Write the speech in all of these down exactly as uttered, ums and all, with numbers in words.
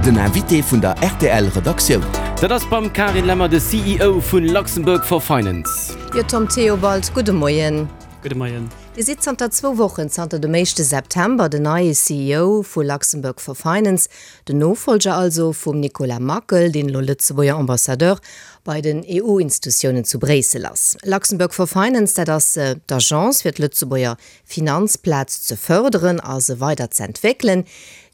Den Invité vun der R T L Redaktioun. Dat ass beim Karin Lemmer, de C E O vun Luxembourg for Finance. Jo, Tom Theobald, gudde Moien. Gudde Moien. Dir sidd zanter zwou Wochen, zanter dem éischte September, den neie C E O vu Luxembourg for Finance, den Nofollger also vum Nicolas Mackel, deen elo Lëtzebuerger Ambassadeur bei den E U-Institutiounen zu Bréissel ass. Luxembourg for Finance, dat ass äh, d'Agence fir d'Lëtzebuerger Finanzplaz ze fërderen a se weider ze entwéckelen.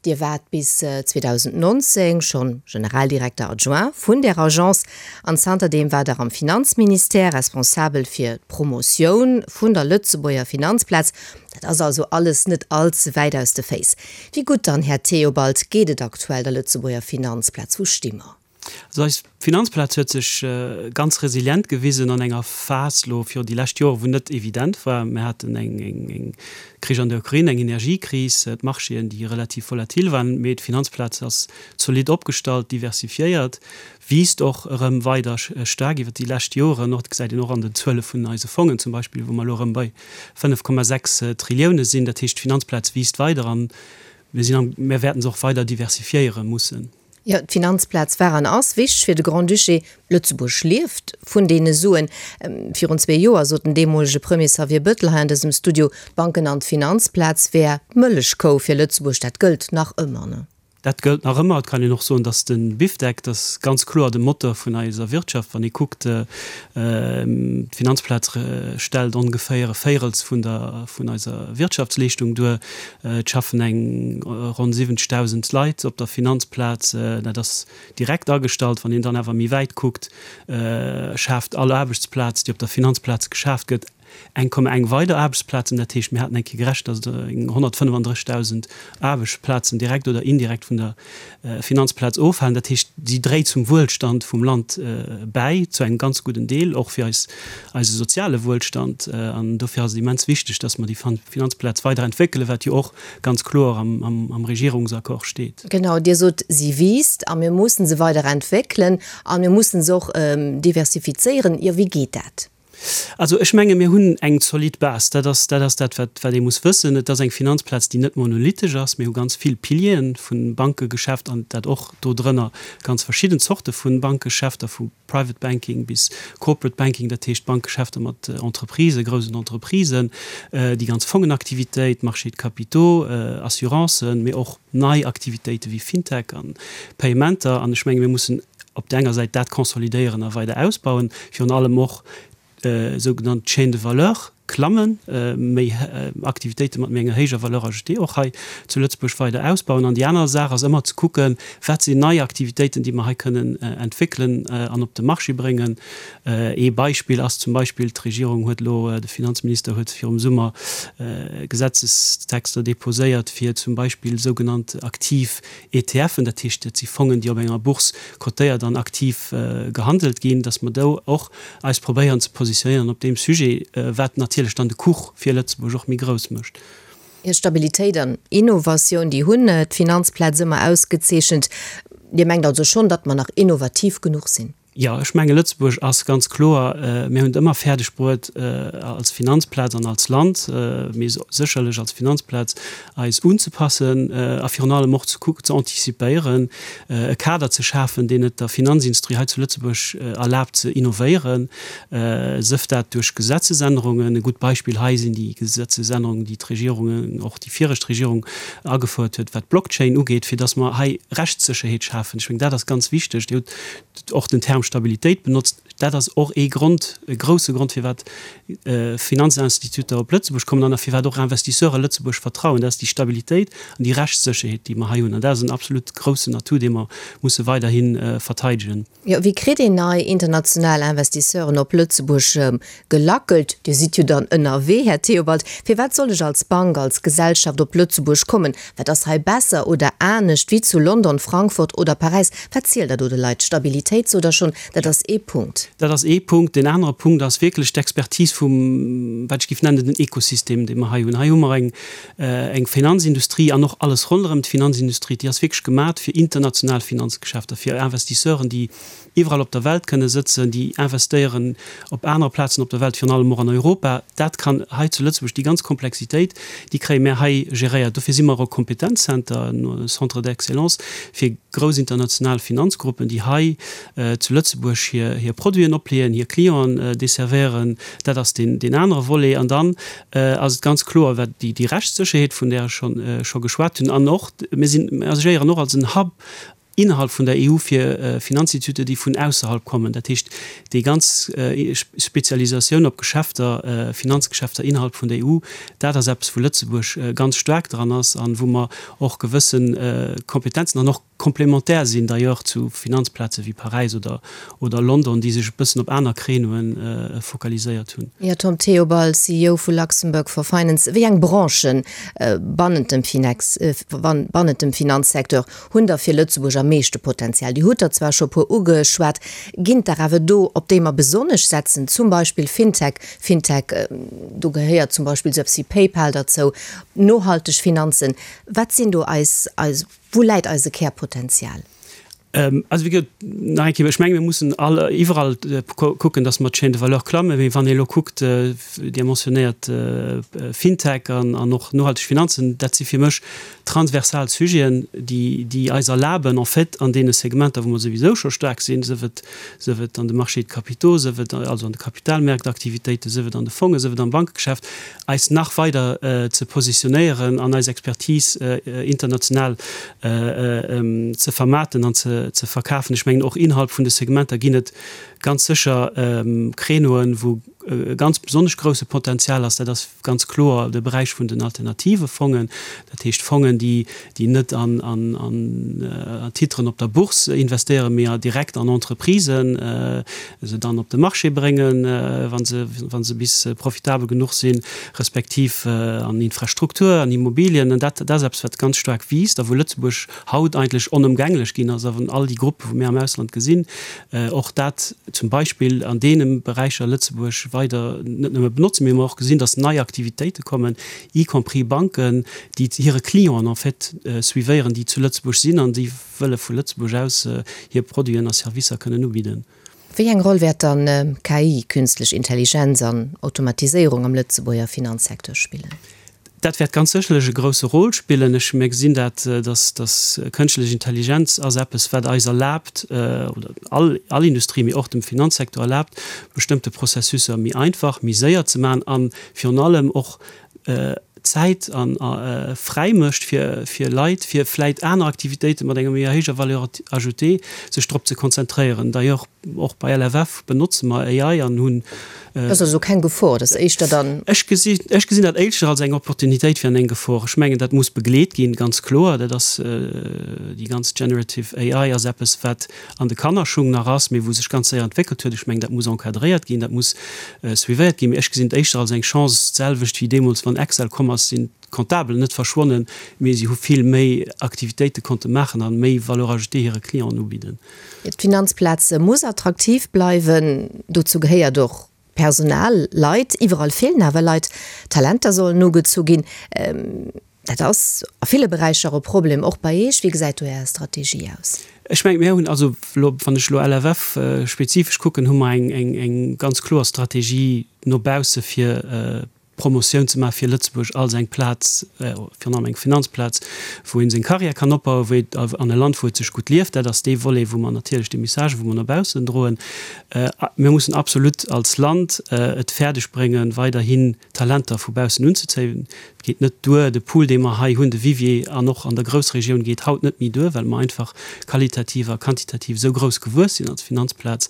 Dir waart bis zweedausendnonzéng schonn Generaldirekter adjoint vun der Agence an zanterdeem waart Der am Finanzministère responsabel fir d'Promotioun vun der Lëtzebuerger Finanzplaz. Dat ass also alles net all ze wäit aus de Féiss. Wéi gutt dann, Här Theobald, geet et aktuell der Lëtzebuerger Finanzplaz? Wou sti mer? Also eis Finanzplaz huet sech äh, ganz resilient gewisen an enger Phas lo fir déi lescht Joer, wou net evident war. Mir haten eng, eng, eng Krich an der Ukrain, eng Energiekris, äh, d'Marchéen, déi relativ volatil waren, mee d'Finanzplaz ass zolidd opgestallt, diversifiéiert, wiisst och erëm weider äh, staark iwwer déi lescht Joren nach, gesäit een och an den Zuele vun eise Fongen zum Beispill, wou mer lo erëm bei fënnef Komma sechs äh, Trillioune sinn. Dat heescht, d'Finanzplaz wiisst weider an mir sinn am, mir wäerten se och weider diversifiéiere mussen. Jo, d'Finanzplaz war an ass wichteg fir de Grand-Duché. Lëtzebuerg lieft vun deene Suen. Ähm, virun zwee Joer sot den deemolege Premier Xavier Bettel hei an dësem Studio, d'Banken an d'Finanzplaz wär d'Mëllechkou fir Lëtzebuerg. Dat gëllt nach ëmmer, ne? Dat gëllt nach ëmmer. Et kann een och soen, dass de Bifdeck, dat ass ganz kloer de Motor vun eiser Wirtschaft. Wann ee kuckt, äh, d'Finanzplaz stellt ongeféier e Véirels vun der vun eiser Wirtschaftsleeschtung duer. Äh, et schaffen eng ronn siwwenzegdausend Leit op der Finanzplaz, äh, dat ass direkt agestallt. Wann een dann awer méi wäit kuckt, äh, schaaft all Aarbechtsplaz, déi op der Finanzplaz geschaaft gëtt, eng Komma eng weider Aarbechtsplazen. Dat heescht, mir haten eng Kéier gerechent, dass eng honnertfënnefandrëssegdausend Aarbechtsplazen direkt oder indirekt vun der äh, Finanzplaz ofhänken. Dat heescht, si dréit zum Wuelstand vum Land äh, bäi, zu engem ganz gudden Deel, och fir eis eise soziale Wuelstand. Äh, an dofir ass et immens wichteg, dass mer déi Finanzplaz weiderentwéckelen, wat jo och ganz kloer am, am, am Regierungsaccord steet. Genau, Dir sot, si wiisst a mir mussen se weiderentwéckelen a mir mussen se och ähm, diversifizéieren. Jo, wéi geet dat? Also ech menge mir hunn eng zolidd Base, dat ass dat ass dat wat wat ee muss wëssen, et ass eng Finanzplaz, déi net monolithisch ass. Mir hu ganz vill Pilieren vun Bankegeschäft an dat och do drënner ganz verschidden Zorte vun Bankgeschäfter, vu Private Banking bis Corporate Banking, dat heescht Bankgeschäfter mat äh, Entreprisë, groussen Entreprisen, äh, déi ganz Fongenaktivitéit, Marché de capitaux, äh, Assurancen, mee och nei Aktivitéite wéi Fintech an Paymenter. An ech menge mir mussen op der enger Säit dat konsolidéieren a weider ausbauen, virun allem och äh, sougenannt Chaîne de valeur klammen, äh, méi äh, Aktivitéite mat méi enger héijer Valeur ajoutée och hei zu Lëtzebuerg weider ausbauen. An déi aner Saach ass ëmmer ze kucken, wat sinn nei Aktivitéiten, déi mer hei kënnen äh, entwéckelen äh, an op de Marché bréngen. Äh, ee Beispill ass zum Beispill, d'Regierung huet lo, äh, de Finanzminister huet virum Summer äh, Gesetzestexter deposéiert fir zum Beispill sougenannt aktiv E T Fen, dat heescht, dat si Fongen, déi op enger Bourse kotéiert an aktiv äh, gehandelt ginn, dass mer do och eis probéieren ze positionéieren op deem Sujet, äh, wat natierlech dann de Kuch fir Lëtzebuerg och méi grouss mécht. Jo, Stabilitéit an Innovatioun, déi hunn d'Finanzplaz ëmmer ausgezeechent. Dir mengt also schonn, datt mer nach innovativ genuch sinn? Jo, ech menge Lëtzebuerg ass ganz kloer, äh, mir hunn ëmmer fäerdeg bruet äh, als Finanzplaz an als Land, äh, mee sécherlech als Finanzplaz eis unzepassen äh, a virun allem och ze kucken, ze antizipéieren, äh, e Kader ze schafen, deen et der Finanzindustrie hei zu Lëtzebuerg äh, erlaabt ze innovéieren, äh, sief dat duerch Gesetzesännerungen. E gutt Beispill hei sinn déi Gesetzesännerungen, déi d'Regierungen, och déi viregt Regierung agefouert huet, wat Blockchain ugeet, fir dass mer hei Rechtssécherheet schafen. Ech mengen, dat ass ganz wichteg. Dir hutt och den Term Stabilitéit benotzt. Dat ass och ee Grond, e grousse Grond, firwat äh, Finanzinstituter op Lëtzebuerg kommen an firwat och Investisseure Lëtzebuerg vertrauen. Dat ass déi Stabilitéit an déi Rechtssécherheet, déi mer hei hunn. An dat ass en absolut groussen Atout, dee mer musse weiderhi äh, verteidegen. Jo, wéi kritt een nei international Investisseuren op Lëtzebuerg ähm, gelackelt? Dir sidd jo dann ënnerwee, Här Theobald. Firwat soll ech als Bank, als Gesellschaft op Lëtzebuerg kommen? Wat ass hei besser oder anescht wéi zu London, Frankfurt oder Paräis? Wat zielt der do de Leit? Stabilitéit oder schonn schonn. Dat ass ee Punkt. Dat ass ee Punkt. Deen anere Punkt ass wierklech d'Expertise vum, wat ech géif nennen, den Ekosystem, dee mer hei hunn. Hei hu mer eng, eng Finanzindustrie an och alles ronderëm d'Finanzindustrie, déi ass wierklech gemat fir international Finanzgeschäfter, fir Investisseuren, déi iwwerall op der Welt kënne sëtzen, déi investéieren op anere Plazen op der Welt, virun allem och an Europa. Dat kann hei zu Lëtzebuerg, déi ganz Komplexitéit, déi kréie mär hei geréiert. Dofir si mer och e Kompetenzzenter, e Centre d'excellence fir grouss international Finanzgruppen, déi hei zu Lëtzebuerg hir, hir Produiten opleeën, hir Clienten desservéieren. Dat ass deen, deen anere Volet. An dann ass et ganz kloer, wat déi, déi Rechtssécherheet, vun där ech schonn, scho geschwat hunn, an och, mir sinn, mir agéieren och als en Hub innerhalb vun der E U fir Finanzinstituter, déi vun ausserhalb kommen. Dat heescht, déi ganz Spezialisatioun op Geschäfter, Finanzgeschäfter innerhalb vun der E U, dat ass eppes, wou Lëtzebuerg ganz staark dran ass an wou mer och gewësse Kompetenzen an och komplementär sinn d'ailleurs zu Finanzplaze wéi Paräis oder oder London, déi sech e bëssen op aner Créneauen focaliséiert hunn. Jo, Tom Theobald, C E O vu Luxembourg for Finance, wéi eng Branchen bannent dem Finex, bannent dem Finanzsecteur hunn da fir Lëtzebuerg am meeschte Potenzial? Dir hutt der zwar scho e puer ugeschwat, ginn et der awer do, op déi mer besonnesch setzen, zum Beispill Fintech? Fintech, do gehéiert zum Beispill esou eppes wéi PayPal derzou, nohalteg Finanzen. Wat sinn do eis, eis, wou läit eise Kärpotenzial? Also wéi gesot, nach eng Kéier, ech menge mir mussen all, iwwerall kucken, datt mer d'Chaîne de valeur klammen. Mee wann ee elo kuckt, Dir mentionnéiert Fintech an an och nohalteg Finanzen, dat si fir mech transversal Sujeten, déi, déi eis erlaben en fait an deene Segmenter, wou mer souwisou scho staark sinn, sief et, sief et an de Marchés de capitaux, sief et also an de Kapitalmärktaktivitéiten, sief et an de Fongen, sief et am Bankegeschäft, eis nach weider ze positionéieren an eis Expertise international ze vermaarten an ze verkafen. Ech mengen, och innerhalb vun de Segmenter ginn et ganz sécher Créneauen, wou e ganz besonnesch grouse Potenzial ass. Dat ass ganz kloer de Beräich vun den alternative Fongen, dat heescht Fongen, déi net an Titren op der Bourse investéieren, mee direkt an Entreprisen, se dann op de Marché bréngen, wa se bis profitabel genuch sinn, respektiv an Infrastruktur, an Immobilien. An dat ass eppes, wat ganz staark wiisst a wou Lëtzebuerg haut eigentlech onëmgänglech ginn ass. A wann all déi Gruppe, wou mir am Ausland gesinn, och dat zum Beispill an deene Beräicher Lëtzebuerg weider net nëmme benotzen, mee mer och gesinn, dass nei Aktivitéite kommen, y compris Banken, déi hire Clienten en fait suivéieren, déi zu Lëtzebuerg sinn an déi wëlle vu Lëtzebuerg aus hir Produiten a Servicer kënnen ubidden. Wéi eng Roll wäert dann K I, Künstlech Intelligenz an Automatiséierung am Lëtzebuerger Finanzsecteur spillen? Dat wäert ganz sécherlech e grousse Rôle spillen. Ech, mir gesinn dat, dass, dass kënschtlech Intelligenz ass eppes, wat eis erlaabt, oder all, all Industrie, mee och dem Finanzsektor erlaabt, bestëmmte Processusser méi einfach, méi séier ze maachen a virun allem och Zäit a fräi mécht fir, fir Leit, fir vläit aner Aktivitéite mat enger méi héijer Valeur ajoutée sech drop ze konzentréieren. D'ailleurs, och bei L F F benotze mer A I an hunn. Dat ass also keng Gefor, dat ass éischter dann. Ech gesi, ech gesinn dat éischter als eng Opportunitéit wéi an eng Gefor. Ech mengen, dat muss begleet ginn, ganz kloer. Dat ass, déi ganz Generative A I ass eppes, wat an de Kannerschung nach ass, mee wou sech ganz séier entwéckelt huet. Ech mengen, dat muss encadréiert ginn, dat muss suivéiert ginn. Mee ech gesinn et éischter als eng Chance, d'selwecht wéi deemools, wann Excel komm ass, sinn d'Comptabelen net verschwonnen, mee si hu vill méi Aktivitéite konnte maachen an méi Valeur ajoutée hire Clienten ubidden. D'Finanzplaz muss attraktiv bleiwen. Dozou gehéiert och Personal, Leit. Iwwerall feelen awer Leit. Talenter sollen ugezu ginn. Dat ass a ville Beräicher e Problem, och bei Iech. Wéi gesäit do Är Strategie aus? Ech mengen, mir hunn also elo, wann ech elo L F F spezifesch kucken, hu mer eng, eng, eng ganz kloer Strategie no bausse fir Promotioun ze maache fir Lëtzebuerg als eng Plaz, virun allem eng Finanzplaz, wou ee seng Karriär kann opbauen, wou et an e Land, wou et sech gutt lieft. Dat ass dee Volet, wou mer natierlech déi Message, wou mer no baussen droen. Mir mussen absolut als Land et fäerdeg bréngen, weiderhin Talenter vu baussen unzezéien. Et geet net duer, de Pool, dee mer hei hunn, de Vivier an och an der Groussregioun, geet haut net méi duer, well mer einfach qualitativ a quantitativ esou grouss gewuess sinn als Finanzplaz.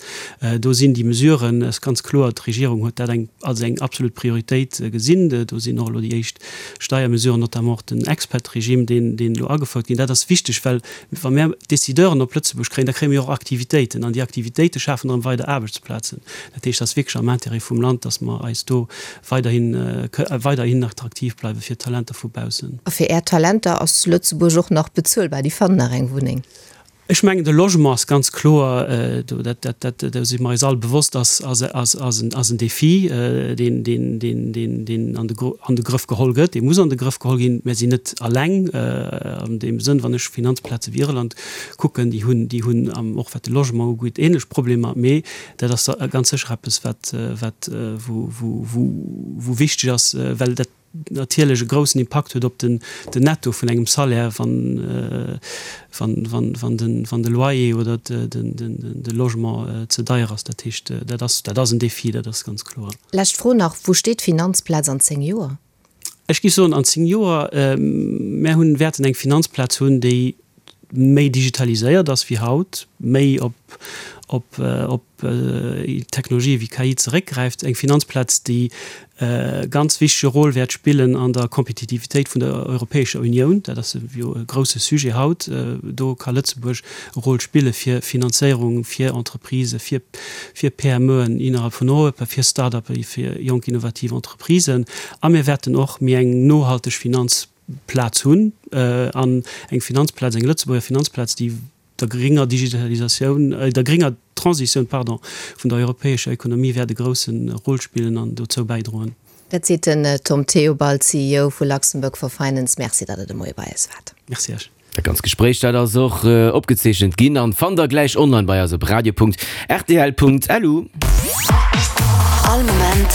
Do sinn déi Mesuren, ass ganz kloer, d'Regierung huet dat eng als eng absolut Prioritéit gesinn. Do sinn och elo déi éischt Steiermesuren, notamment och den Expat-Regime, deen deen elo agefouert ginn. Dat ass wichteg, well wa mer Décideuren op Lëtzebuerg kréien, da kréie mir och Aktivitéiten an déi Aktivitéite schafen erëm weider Aarbechtsplazen. Dat heescht, et ass wierklech am Intérêt vum Land, dass mer eis do weiderhin weiderhin attraktiv bleiwe fir Talenter vu baussen. A fir Är Talenter ass Lëtzebuerg och nach bezuelbar? Déi fannen nach eng Wunneng? Ech mengen de Logement ass ganz kloer, do dat dat dat do si mer eis all bewosst, ass ass ass ass en ass en Défi, deen deen deen deen deen an de an de Grëff geholl gëtt. Dee muss an de Grëff geholl ginn. Mär sinn net alleng an deem Sënn, wann ech Finanzplaze wéi Irland kucken, déi hunn déi hunn och wat de Logement ugeet ähnlech Problemer. Mee dat ass ganz sécher eppes wat wat wou wou wou wou wichteg ass, well dat natierlech e groussen Impakt huet op den Netto vun engem Salaire, wann de Loyer oder de Logement ze deier ass. Dat heescht, dat ass, dat ass en Défi, dat ass ganz kloer. Lescht Fro nach, Wou steet d'Finanzplaz an zéng Joer? Ech géif soen, an zéng Joer, mär hunn, wäerten eng Finanzplaz hunn, déi méi digitaliséiert ass wéi haut, méi op op op Technologië wéi K I zeréckgräift, eng Finanzplaz, déi e ganz wichtege Rôle wäert spillen an der Kompetitivitéit vun der Europäescher Unioun. Dat ass jo e grouse Sujet haut. Do ka Lëtzebuerg e Rôle spille fir Finanzéierung, fir Entreprisë, fir fir P M Eën innerhalb vun Europa, fir Start-uppe, fir jonk innovativ Entreprisen. A mir wäerten och méi eng nohalteg Finanz Plaz hunn an eng Finanzplaz, eng Lëtzebuerger Finanzplaz, déi der gringer Digitalisatioun, der gringer Transitioun, pardon, vun der europäescher Ekonomie wäert e grousse Rôle spillen an dozou bäidroen. Dat seet den Tom Theobald, C E O vu Luxembourg for Finance. Merci, datt Der de Moie bei eis waart. Merci Iech. Dat ganzt Gespréich, dat ass och opgezeechent ginn an fannt der gläich online bei eis op radio Punkt rtl Punkt lu. All Moment.